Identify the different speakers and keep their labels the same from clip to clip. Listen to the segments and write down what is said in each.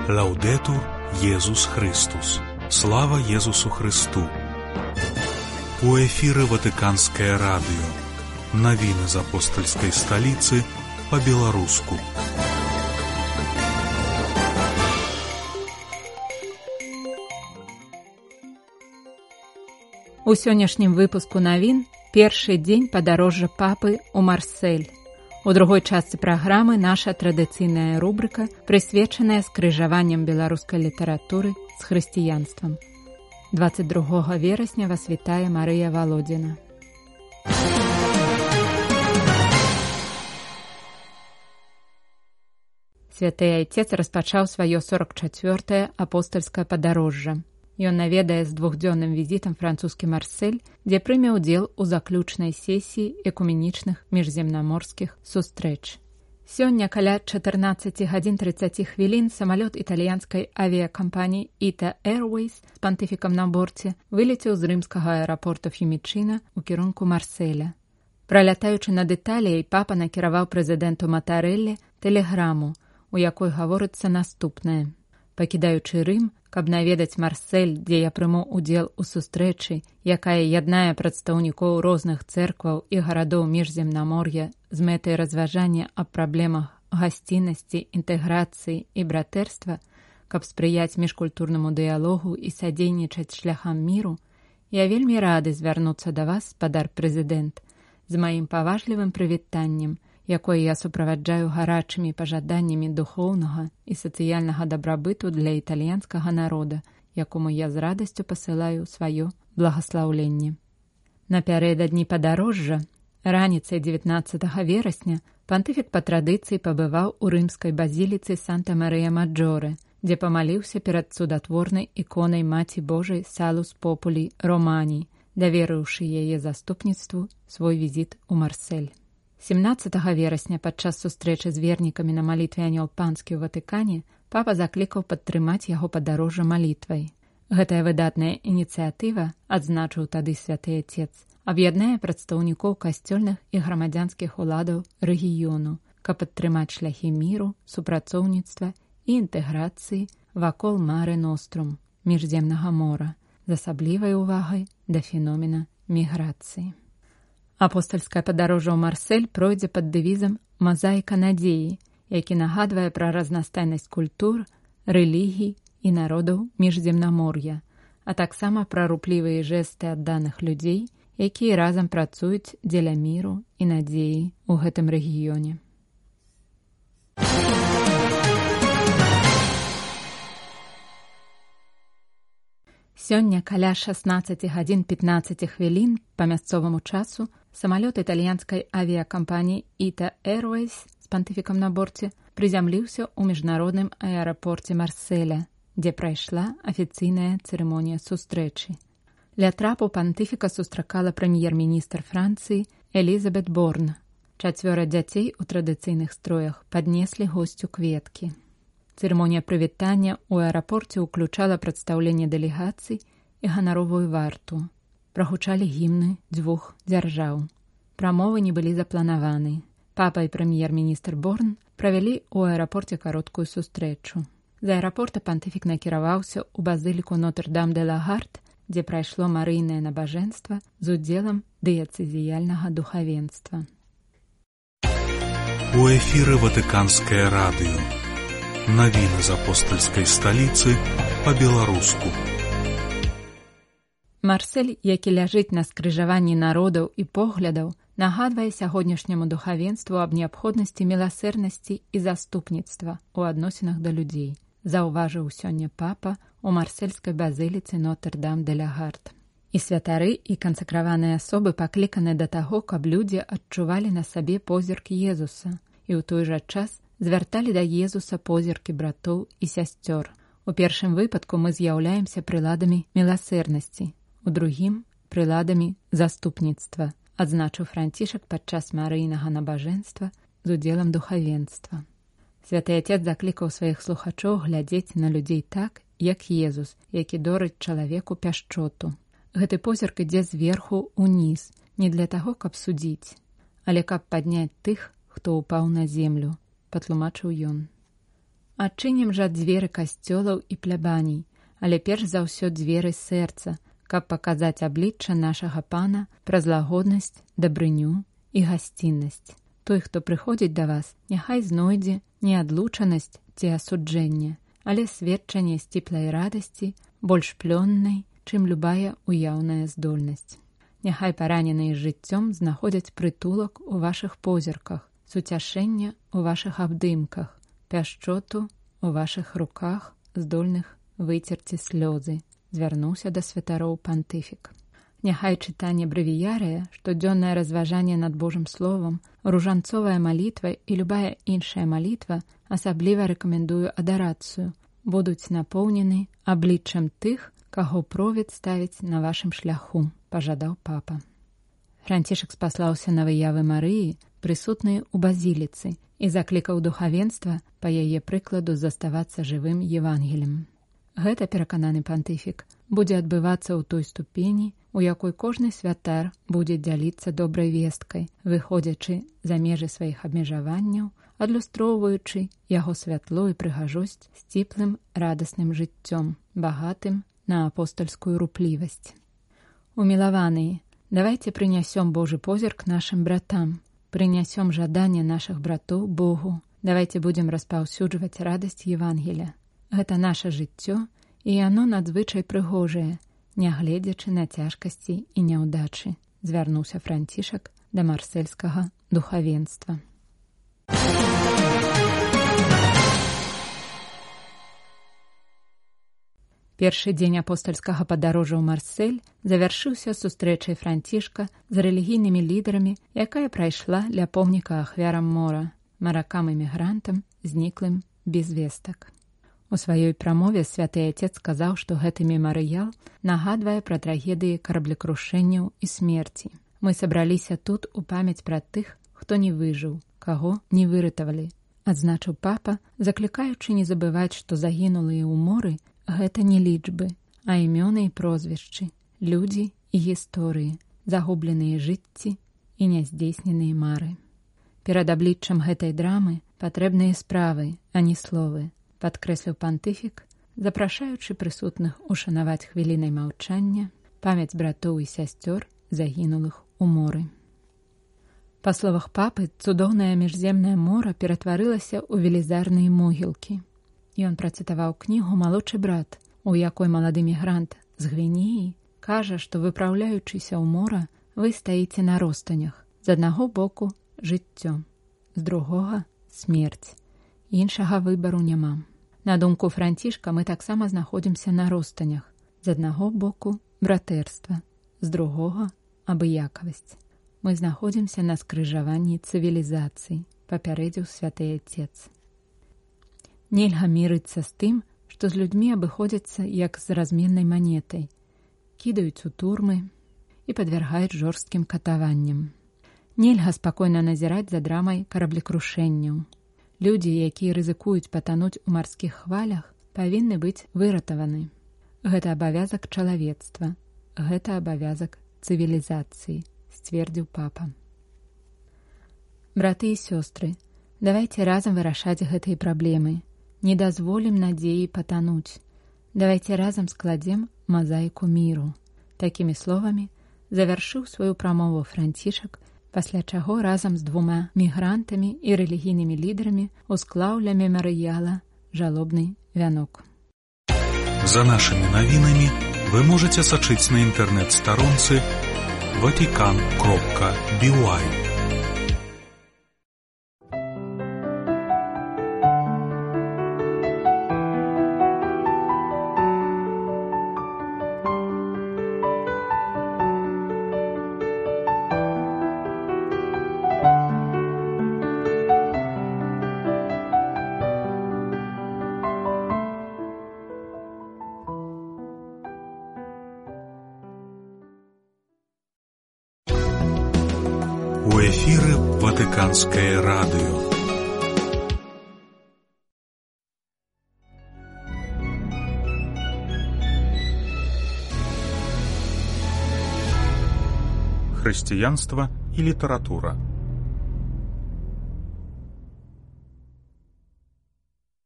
Speaker 1: Лаўдетур Єсус Христос. Слава Єсусу Христу. У эфіры Ватыканскае радыё. Навіны з апостальскай сталіцы па-беларуску.
Speaker 2: У сённяшнім выпуску навін першы дзень падарожжа папы ў Марсель. У другой частцы праграмы наша традыцыйная рубрыка, прысвечаная скрыжаванням беларускай літаратуры з хрысціянствам. 22 верасня вас вітае Марыя Валодзіна. Святы Айцец распачаў сваё 44-е апостальскае падарожжа. Ён наведае з двухдзённым візітам французскі Марсель, дзе прыме ўдзел у заключнай сесіі экуменічных міжземнаморскіх сустрэч. Сёння каля 14 гадзін 30 хвілін самалёт італьянскай авіякампаніі ITA Airways з пантыфікам на борце вылецеў з рымскага аэрапорта Фімічына ў кірунку Марселя. Пралятаючы над Італіяй, папа накіраваў прэзідэнту Матарэллі тэлеграму, у якой гаворыцца наступнае. Пакідаючы Рым, каб наведаць Марсель, дзе я прыму ўдзел у сустрэчы, якая яднае прадстаўнікоў розных цэркваў і гарадоў міжземнамор'я з мэтай разважання аб праблемах гасціннасці, інтэграцыі і братэрства, каб спрыяць міжкультурнаму дыялогу і садзейнічаць шляхам міру, я вельмі рады звярнуцца да вас, спадар прэзідэнт, з маім паважлівым прывітаннем, якое я суправаджаю гарачымі пажаданнямі духоўнага і сацыяльнага дабрабыту для італьянскага народа, якому я з радасцю пасылаю сваё благаслаўленне. Напярэдадні падарожжа, раніцай 19 верасня, пантыфік па традыцыі пабываў у рымскай базіліцы Санта-Марыя-Маджоре, дзе памаліўся перад цудатворнай іконай Маці Божай Салус Популі Романі, даверыўшы яе заступніцтву свой візіт у Марсель. 17 верасня падчас сустрэчы з вернікамі на малітве Анёл Панскі ў Ватыкане папа заклікаў падтрымаць яго падарожжа малітвай. Гэтая выдатная ініцыятыва, адзначыў тады святы Айцец, аб'яднае прадстаўнікоў касцёльных і грамадзянскіх уладаў рэгіёну, каб падтрымаць шляхі міру, супрацоўніцтва і інтэграцыі вакол Мары Нострум, міжземнага мора, з асаблівай увагай да феномена міграцыі. Апостальскае падарожжа ў Марсель пройдзе пад дэвізам «Мазаіка надзеі», які нагадвае пра разнастайнасць культур, рэлігій і народаў міжземнамор'я, а таксама пра руплівыя жэсты адданых людзей, якія разам працуюць дзеля міру і надзеі ў гэтым рэгіёне. Сёння каля 16 гадзін 15 хвілін па мясцоваму часу самалёт італьянскай авіякампаніі ITA Airways з пантыфікам на борце прызямліўся ў міжнародным аэрапорце Марселя, дзе прайшла афіцыйная цырымонія сустрэчы. Ля трапу пантыфіка сустракала прэм'ер-міністр Францыі Элізабет Борн. 4 дзяцей у традыцыйных строях паднеслі госцю кветкі. Цырымонія прывітання ў аэрапорце ўключала прадстаўленне дэлегацый і ганаровую варту. Прагучалі гімны 2 дзяржаў. Прамовы не былі запланаваны. Папа і прэм'ер-міністр Борн правялі ў аэрапорце кароткую сустрэчу. З аэрапорта пантыфік накіраваўся ў базыліку Нотр-Дам-де-ла-Гард, дзе прайшло марыйнае набажэнства з удзелам дыяцэзіяльнага духавенства.
Speaker 1: У эфіры Ватыканскае радыё. Навіны з апостальскай сталіцы па-беларуску.
Speaker 2: Марсель, які ляжыць на скрыжаванні народаў і поглядаў, нагадвае сягодняшняму духавенству аб неабходнасці міласэрнасці і заступніцтва ў адносінах да людзей, заўважыў сёння папа ў марсельскай базыліцы Нотр-Дам-де-ла-Гард. І святары, і кансакраваныя асобы пакліканы да таго, каб людзі адчувалі на сабе позірк Езуса і ў той жа час звярталі да Езуса позіркі братоў і сясцёр. У першым выпадку мы з'яўляемся прыладамі міласэрнасці, у другім – прыладамі заступніцтва, адзначыў Францішак падчас марыйнага набажэнства з удзелам духавенства. Святы Айцец заклікаў сваіх слухачоў глядзець на людзей так, як Езус, які дорыць чалавеку пяшчоту. Гэты позірк ідзе зверху ўніз, не для таго, каб судзіць, але каб падняць тых, хто ўпаў на землю, патлумачыў ён. Адчынім жа дзверы касцёлаў і плябаній, але перш за ўсё дзверы сэрца, каб паказаць аблічча нашага Пана праз лагоднасць, дабрыню і гасціннасць. Той, хто прыходзіць да вас, няхай знойдзе не адлучанасць ці асуджэнне, але сведчанне сціплай радасці, больш плённай, чым любая уяўная здольнасць. Няхай параненыя жыццём знаходзяць прытулак у вашых позірках, суцяшэнне ў вашых абдымках, пяшчоту ў вашых руках, здольных выцерці слёзы, звярнуўся да святароў пантыфік. Няхай чытанне брэвіярыя, штодзённае разважанне над Божым словам, ружанцовая малітва і любая іншая малітва, асабліва рэкамендую адарацыю, будуць напоўнены абліччам тых, каго провід ставіць на вашым шляху, пажадаў папа. Францішак спаслаўся на выявы Марыі, прысутныя ў базіліцы, і заклікаў духавенства па яе прыкладу заставацца жывым Евангелем. Гэта, перакананы пантыфік, будзе адбывацца ў той ступені, у якой кожны святар будзе дзяліцца добрай весткай, выходзячы за межы сваіх абмежаванняў, адлюстроўваючы яго святло і прыгажосць сціплым радасным жыццём, багатым на апостальскую руплівасць. Умілаваныя, давайце прынясём Божы позірк нашым братам, прынясём жаданне нашых братоў Богу, давайце будзем распаўсюджваць радасць Евангеля. Гэта наша жыццё, і яно надзвычай прыгожае, нягледзячы на цяжкасці і няўдачы, звярнуўся Францішак да марсельскага духавенства. Першы дзень апостальскага падарожжа ў Марсель завяршыўся сустрэчай Францішка з рэлігійнымі лідарамі, якая прайшла ля помніка ахвярам мора, маракам-эмігрантам, зніклым без вестак. У сваёй прамове святы Отец сказаў, што гэты мемарыял нагадвае пра трагедыі караблекрушэнняў і смерці. Мы сабраліся тут у памяць пра тых, хто не выжыў, каго не выратавалі, адзначыў папа, заклікаючы не забываць, што загінулыя ў моры гэта не лічбы, а імёны і прозвішчы, людзі і гісторыі, загубленыя жыцці і няздзейсненыя мары. Перад абліччам гэтай драмы патрэбныя справы, а не словы, падкрэсліў пантыфік, запрашаючы прысутных ушанаваць хвілінай маўчання памяць братоў і сясцёр, загінулых у моры. Па словах папы, цудоўнае міжземнае мора ператварылася ў велізарныя могілкі. Ён працытаваў кнігу «Малодшы брат», у якой малады мігрант з Гвінеі кажа, што, выпраўляючыся ў мора, вы стаіце на ростанях. З аднаго боку жыццё, з другога смерць. Іншага выбару няма. На думку Францішка, мы таксама знаходзімся на ростанях. З аднаго боку братэрства, з другога абыякавасць. Мы знаходзімся на скрыжаванні цывілізацый, папярэдзіў святы Отец. Нельга мірыцца з тым, што з людзьмі абыходзяцца як з разменнай манетай, кідаюць у турмы і падвяргаюць жорсткім катаванням. Нельга спакойна назіраць за драмай караблекрушэнняў. Людзі, якія рызыкуюць патануць у марскіх хвалях, павінны быць выратаваны. Гэта абавязак чалавецтва, гэта абавязак цывілізацыі, сцвердзіў папа. Браты і сёстры, давайце разам вырашаць гэтыя праблемы. Не дазволім надзеі патануць. Давайце разам складзем мазаіку міру. Такімі словамі завяршыў сваю прамову Францішак, пасля чаго разам з 2 мігрантамі і рэлігійнымі лідарамі усклаў ля мемарыяла жалобны вянок.
Speaker 1: За нашими навінамі вы можете сачыць на інтэрнэт-старонцы vatican.by. У эфіры Ватыканскае радыё. Хрысціянства і літаратура.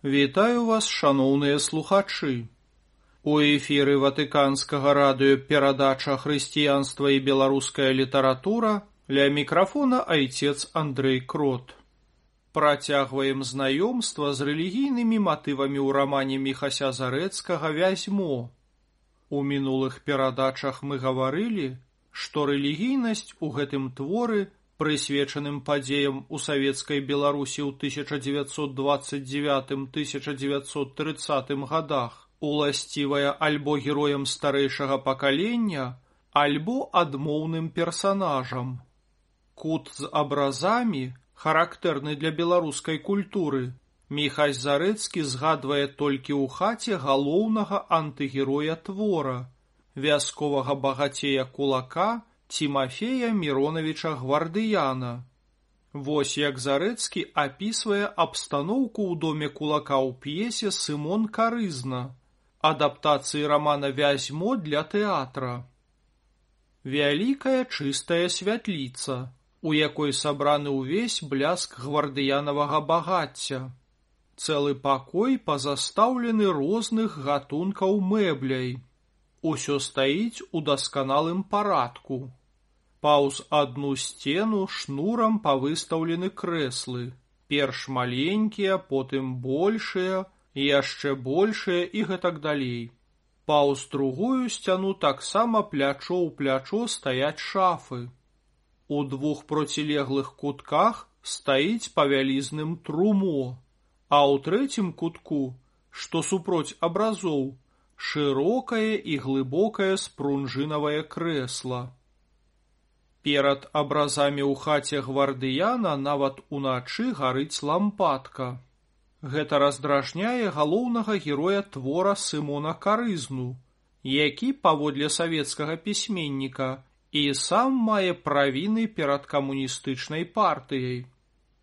Speaker 3: Вітаю вас, шаноўныя слухачы. У эфіры Ватыканскага радыё перадача «Хрысціянства і беларуская літаратура», ля мікрафона айцец Андрэй Крот. Працягваем знаёмства з рэлігійнымі матывамі ў рамане Міхася Зарэцкага «Вязьмо». У мінулых перадачах мы гаварылі, што рэлігійнасць у гэтым творы, прысвечаным падзеям у савецкай Беларусі ў 1929-1930 годах, уласцівая альбо героям старэйшага пакалення, альбо адмоўным персанажам. Кут з абразамі, характэрны для беларускай культуры, Міхась Зарэцкі згадвае толькі ў хаце галоўнага антыгероя твора, вясковага багацея кулака Тимофея Мироновича Гвардыяна. Вось як Зарэцкі апісвае абстаноўку ў доме кулака ў п'есе «Сымон Карызна», адаптацыі рамана «Вязьмо» для тэатра. Вялікая чыстая святліца, у якой сабраны ўвесь бляск гвардыянавага багацця. Цэлы пакой пазастаўлены розных гатункаў мэбляй. Усё стаіць у дасканалым парадку. Паўз адну сцену шнурам павыстаўлены крэслы, перш маленькія, потым большыя, яшчэ большыя і гэтак далей. Паўз другую сцяну таксама плячо ў плячо стаяць шафы. У двух процілеглых кутках стаіць па вялізным трумо, а ў трэцім кутку, што супроць абразоў, шырокае і глыбокае спрунжынавае крэсла. Перад абразамі ў хаце Гвардыяна нават уначы гарыць лампадка. Гэта раздражняе галоўнага героя твора Сымона Карызну, які, паводле савецкага пісьменніка, і сам мае правіны перад камуністычнай партыяй.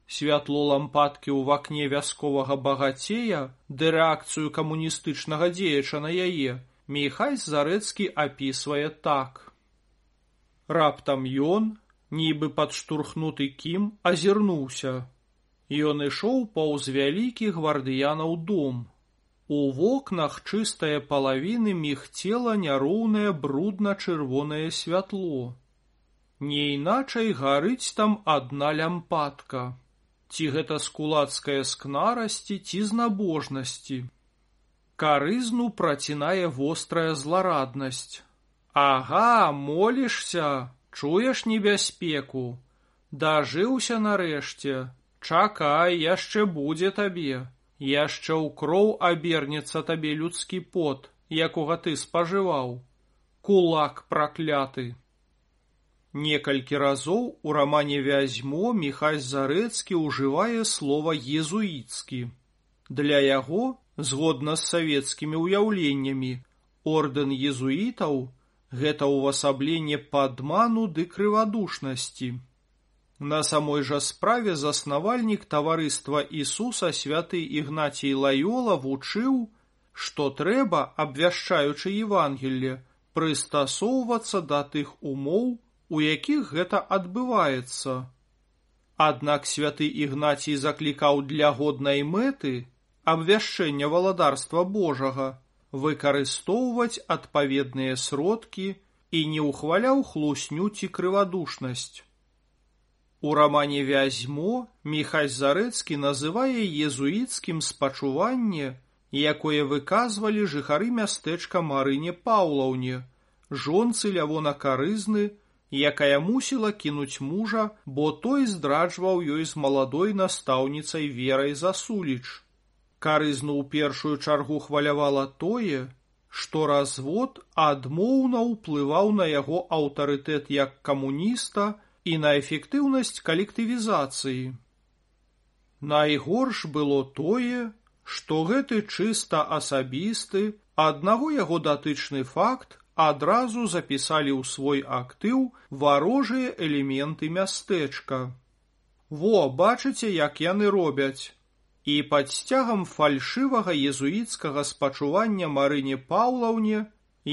Speaker 3: Святло лампадкі ў вакне вясковага багацея, ды рэакцыю камуністычнага дзеяча на яе, Міхась Зарэцкі апісвае так. Раптам ён, нібы падштурхнуты кім, азірнуўся. Ён ішоў паўз вялікі Гвардыянаў дом. У вокнах чыстае палавіны мігцела няроўнае брудна-чырвонае святло. Не іначай гарыць там адна лямпадка. Ці гэта з кулацкае скнарасці, ці з набожнасці. Карызну працінае вострая злараднасць. Ага, молішся, чуеш небяспеку. Дажыўся нарэшце. Чакай, яшчэ будзе табе. Яшчэ ў кроў абернецца табе людскі пот, якога ты спажываў. Кулак пракляты. Некалькі разоў у рамане «Вязьмо» Міхась Зарэцкі ўжывае слова «езуіцкі». Для яго, згодна з савецкімі ўяўленнямі, ордэн езуітаў – гэта ўвасабленне падману ды крывадушнасці. На самой жа справе заснавальнік таварыства Ісуса святы Ігнацій Лайола вучыў, што трэба, абвяшчаючы Евангелле, прыстасоўвацца да тых умоў, у якіх гэта адбываецца. Аднак святы Ігнацій заклікаў для годнай мэты, абвяшчэння валадарства Божага, выкарыстоўваць адпаведныя сродкі і не ўхваляў хлусню ці крывадушнасць. У рамане «Вязьмо» Міхась Зарэцкі называе езуіцкім спачуванне, якое выказвалі жыхары мястэчка Марыне Паўлаўне, жонцы Лявона Карызны, якая мусіла кінуць мужа, бо той здраджваў ёй з маладой настаўніцай Верай Засуліч. Карызну ў першую чаргу хвалявала тое, што развод адмоўна ўплываў на яго аўтарытэт як камуніста і на эфектыўнасць калектывізацыі. Найгорш было тое, што гэты чыста асабісты, аднаго яго датычны факт адразу запісалі ў свой актыў варожыя элементы мястэчка. Во, бачыце, як яны робяць. І пад сцягам фальшывага езуіцкага спачування Марыне Паўлаўне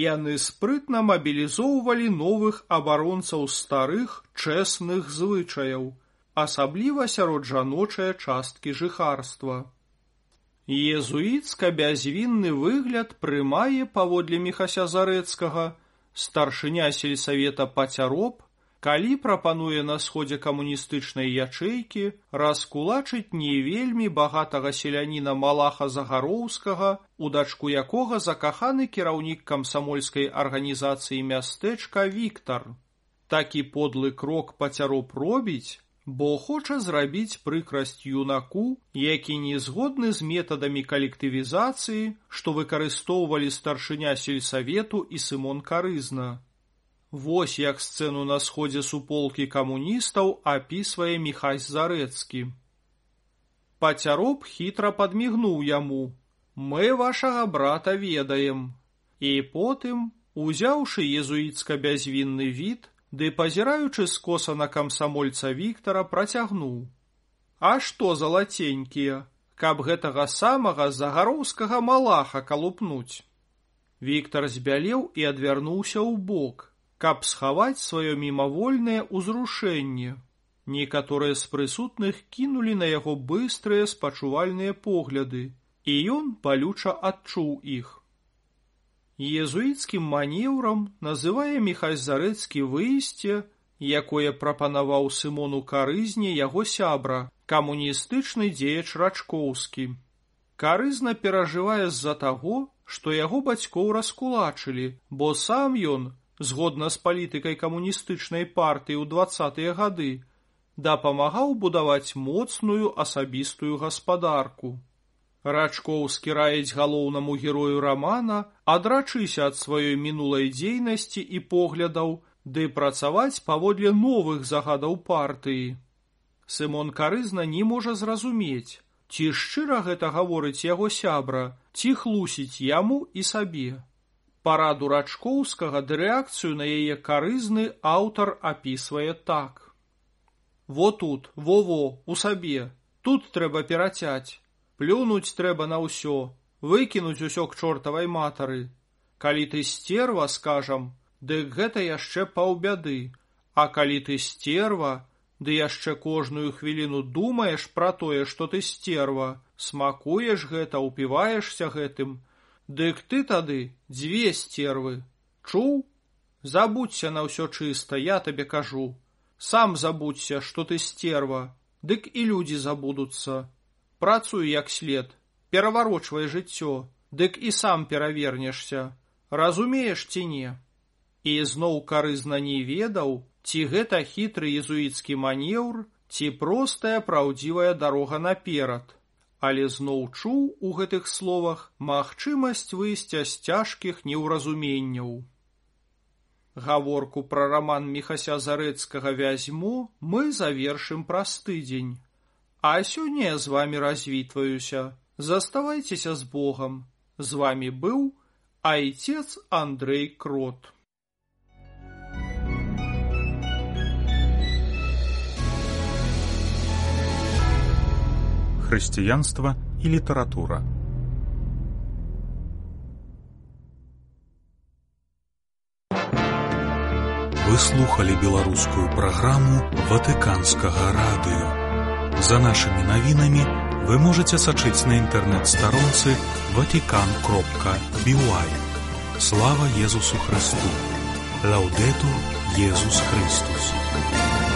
Speaker 3: яны спрытна мабілізоўвалі новых абаронцаў старых чэсных звычаяў, асабліва сярод жаночае часткі жыхарства. Езуіцка-бязвінны выгляд прымае, паводле Міхася Зарэцкага, старшыня сельсавета Пацяроб, калі прапануе на сходзе камуністычнай ячэйкі раскулачыць не вельмі багатага селяніна Малаха Загароўскага, у дачку якога закаханы кіраўнік камсамольскай арганізацыі мястэчка Віктар. Такі подлы крок Пацяроб робіць, бо хоча зрабіць прыкрасць юнаку, які не згодны з метадамі калектывізацыі, што выкарыстоўвалі старшыня сельсавету і Сымон Карызна. Вось як сцэну на сходзе суполкі камуністаў апісвае Міхась Зарэцкі. Пацяроб хітра падмігнуў яму: «Мы вашага брата ведаем». І потым, узяўшы езуіцка-бязвінны від, ды пазіраючы скоса на камсамольца Віктара, працягнуў: «А што залаценькія, каб гэтага самага загароўскага малаха калупнуць?» Віктар збялеў і адвярнуўся ў бок, каб схаваць сваё мімавольнае ўзрушэнне. Некаторыя з прысутных кінулі на яго быстрыя спачувальныя погляды, і ён балюча адчуў іх. Езуіцкім манеўрам называе Міхась Зарэцкі выйсце, якое прапанаваў Сымону Карызне яго сябра, камуністычны дзеяч Рачкоўскі. Карызна перажывае з-за таго, што яго бацькоў раскулачылі, бо сам ён, згодна з палітыкай камуністычнай партыі ў 20-е гады, дапамагаў будаваць моцную асабістую гаспадарку. Рачкоўскі раіць галоўнаму герою рамана адрачыся ад сваёй мінулай дзейнасці і поглядаў, ды працаваць паводле новых загадаў партыі. Сымон Карызна не можа зразумець, ці шчыра гэта гаворыць яго сябра, ці хлусіць яму і сабе. Параду Рачкоўскага ды рэакцыю на яе Карызны аўтар апісвае так: «Во тут, во-во, у сабе, тут трэба перацяць. Плюнуць трэба на ўсё, выкінуць усё к чортавай матары. Калі ты стерва, скажам, дык гэта яшчэ паўбяды, а калі ты стерва, ды яшчэ кожную хвіліну думаеш пра тое, што ты стерва, смакуеш гэта, упіваешся гэтым, дык ты тады дзве стервы. Чуў? Забудься на ўсё чыста, я табе кажу. Сам забудься, што ты стерва, дык і людзі забудуцца. Працуй як след, пераварочвай жыццё, дык і сам перавернешся. Разумееш ці не?» І зноў Карызна не ведаў, ці гэта хітры езуіцкі манеўр, ці простая праўдзівая дарога наперад, але зноў чуў у гэтых словах магчымасць выйсця з цяжкіх неўразуменняў. Гаворку пра раман Міхася Зарэцкага «Вязьмо» мы завершым праз тыдзень. А сёння я з вамі развітваюся. Заставайцеся з Богам. З вамі быў айцец Андрэй Крот.
Speaker 1: Хрысціянства і літаратура. Вы слухали беларускую праграму Ватыканскага радыё. За нашими навінамі вы можете сачыць на інтэрнэт-старонцы vatican.by. Слава Езусу Христу! Лаўдэтур Езус Христус!